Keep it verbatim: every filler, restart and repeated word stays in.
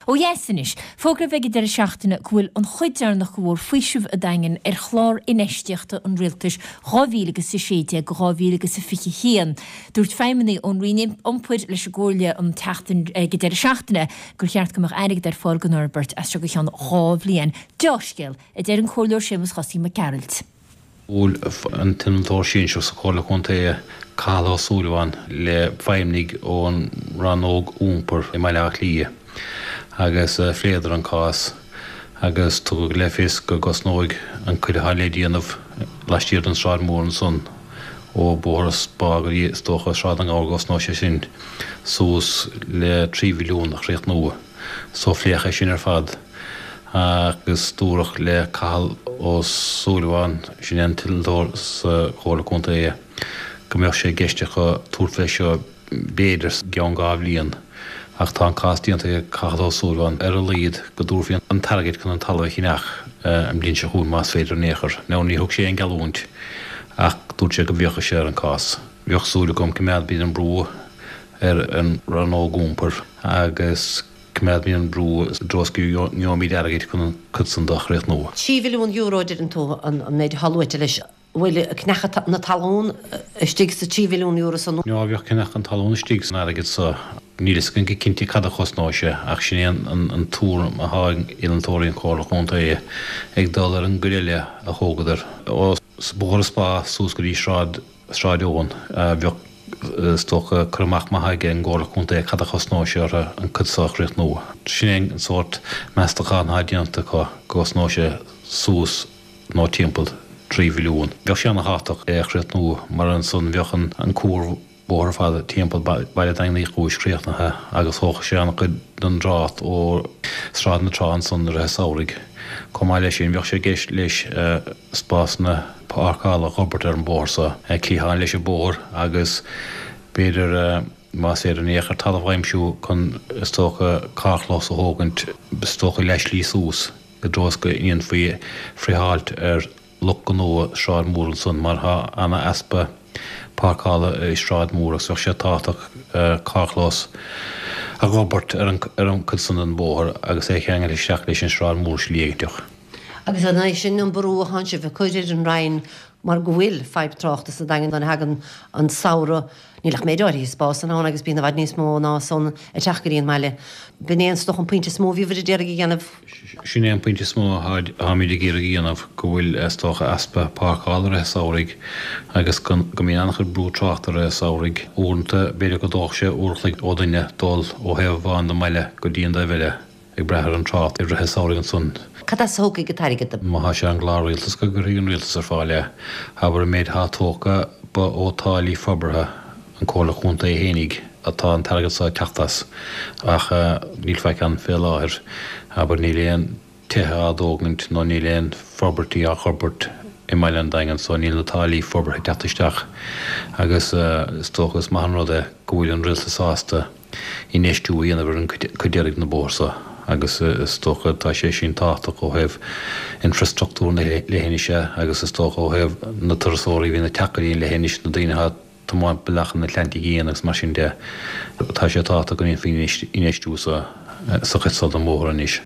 Ó dheas anois, fógraíodh ag an deireadh seachtaine go bhfuil an chuid deireanach de bhóthar faoisimh an Daingin ar chlár infheistíochta an rialtais dhá mhíle agus a sé déag go dhá mhíle agus a fiche haon. Dúirt feidhmeannaigh ón Roinn Iompair leis an gComhairle an tseachtain ag an deireadh seachtaine gur cheart go mbeadh airgead ar fáil don fhorbairt as seo go ceann dhá bhliain. Dea-scéal, a deir an Comhairleoir Séamus Chosaí Mac Gearailt. Bhuail an t-innealtóir sinsearach sa Chomhairle Contae, Cathal Ó Súilleabháin, le feidhmeannaigh ón Rannóg Iompair i mBaile Átha Cliath agus phléadar an cás agus tugadh le fios go gcosnóidh an cuid atá le déanamh laistiar den Sráid Mhór ansan ó Bhóthar Spá go dtí is dócha Sráid na nGabhar go gcosnóidh sé sin suas le trí mhilliún a chríochnú. So phléadh é sin ar fad agus dúradh le Cathal Ó Súilleabháin, sin é an t-innealtóir sa Chomhairle Contae, go mbeadh sé i gceist acu tabhairt fé seo b'fhéidir i gceann dhá bhliain ach tá an cás déanta ag Cathal Ó Súilleabháin ar a laghad go dtabharfaí an t-airgead chun an talamh a cheannach an bhliain seo chugainn más féidir in aon chor. Now ní thug sé aon gheallúint ach dúirt sé go bhféachfadh sé ar an cás. Bheadh súil agam coimeádfaimid an brú ar an Rannóg Iompair agus coimeádfaimid an brú i dtreo is go ngeobhaimid airgead chun an cuid san de a chríochnú. Trí mhilliún euro a deireann tú an méid atá luaite leis. An bhfuil ceannach na talún istigh sa trí mhilliún euro san? Ná bheadh ceannach an talún istigh san airgead so. Níl fhios againn go cinnte cad a chosnóidh sé ach sin é an tuairim atá ag innealtóirí an Chomhairle Chontae ag dul ar an gcuid eile a thógadar ó Bhóthar Spá suas go dtí Sráid Sráid Eoin. Bheadh is dócha cur amach maith ag an gComhairle Contae cad a chosnóidh sé orthu an cuid seo a chríochnú. Sin é an sórt meastachán atá déanta acu, go gcosnóidh sé suas nó timpeall trí mhilliún. Bheadh sé ana-thábhachtach é a chríochnú mar ansan bheadh an cuarbhóthar ar fad timpeall Baile Daingin Uí Chúis críochnaithe agus thógfadh sé an-chuid den dtrácht ó Sráid na Trá ansan i rith an samhraidh. Chomh maith leis sin bheadh sé i gceist leis spásanna páirceála a fhorbairt ar an bóthar so, cliathán leis an bóthar agus b'fhéidir más féidir in aon chor talamh a aimsiú chun is dócha carrchlós a thógaint is dócha leath slí suas i dtreo is go ndéanfaí friotháilt ar lucht gnó Sráid Mhór ansan mar tá ana easpa páirceála i Sráid Mhór agus bheadh sé tábhachtach carrchlós a fhorbairt ar an ar an cuid san den bhóthar agus é a cheangal isteach leis an Sráid Mhór slí éiginteach. Agus an é sin an brú atánn sibh ag cur ar an Roinn mar go bhfuil fadhb tráchta sa Daingean nuair a thagann an samhradh, níl ach méid áirithe spásanna ann agus bíonn i bhfad níos mó ná san ag teacht go dtí an mbaile. B'in é is dócha an pointe is mó a bhíobhair ag iarraidh a dhéanamh. Sin é an pointe is mó atáimid ag iarraidh a dhéanamh, go bhfuil is dócha easpa páirceála i rith an samhraidh agus go mbíonn an-chuid brú tráchta i rith an samhraidh. Uaireanta b'fhéidir go dtógfadh sé uair a chloig ó dhuine dul ó thaobh amháin den mbaile go dtí an taobh eile. ag brath ar an trácht i rith an samhraidh ansan. Cad as a thiocfaidh an t-airgead? Má thá sé ar an gclár rialtais go gcuirfidh an rialtas ar fáil é, abair an méid athá tógtha ba ó táillí forbartha an Comhairle Chontae fhéinig atá an t-airgead so ag teacht as ach níl faic ann fé láthair, abair níl aon tithe á dtógaint nó níl aon forbairtí á fhorbairt i mbaile an Daingin so níl na táillí forbartha ag teacht isteach agus is dócha is maith an rud é go bhfuil an rialtas sásta infheistiú a dhéanamh ar an cuid deiridh den bhóthar so agus is dócha tá sé sin tábhachtach ó thaobh infreastruchtúr na leithinise agus is dócha ó thaobh na turasóirí a bhíonn ag teacht go dtí an leithinis, na daoine atá ag tiomáint bealach an Atlantaigh Fhiáin agus mar sin de. Tá sé tábhachtach go ndéanfaí infheistiú sa chuid so den bhóthar anois.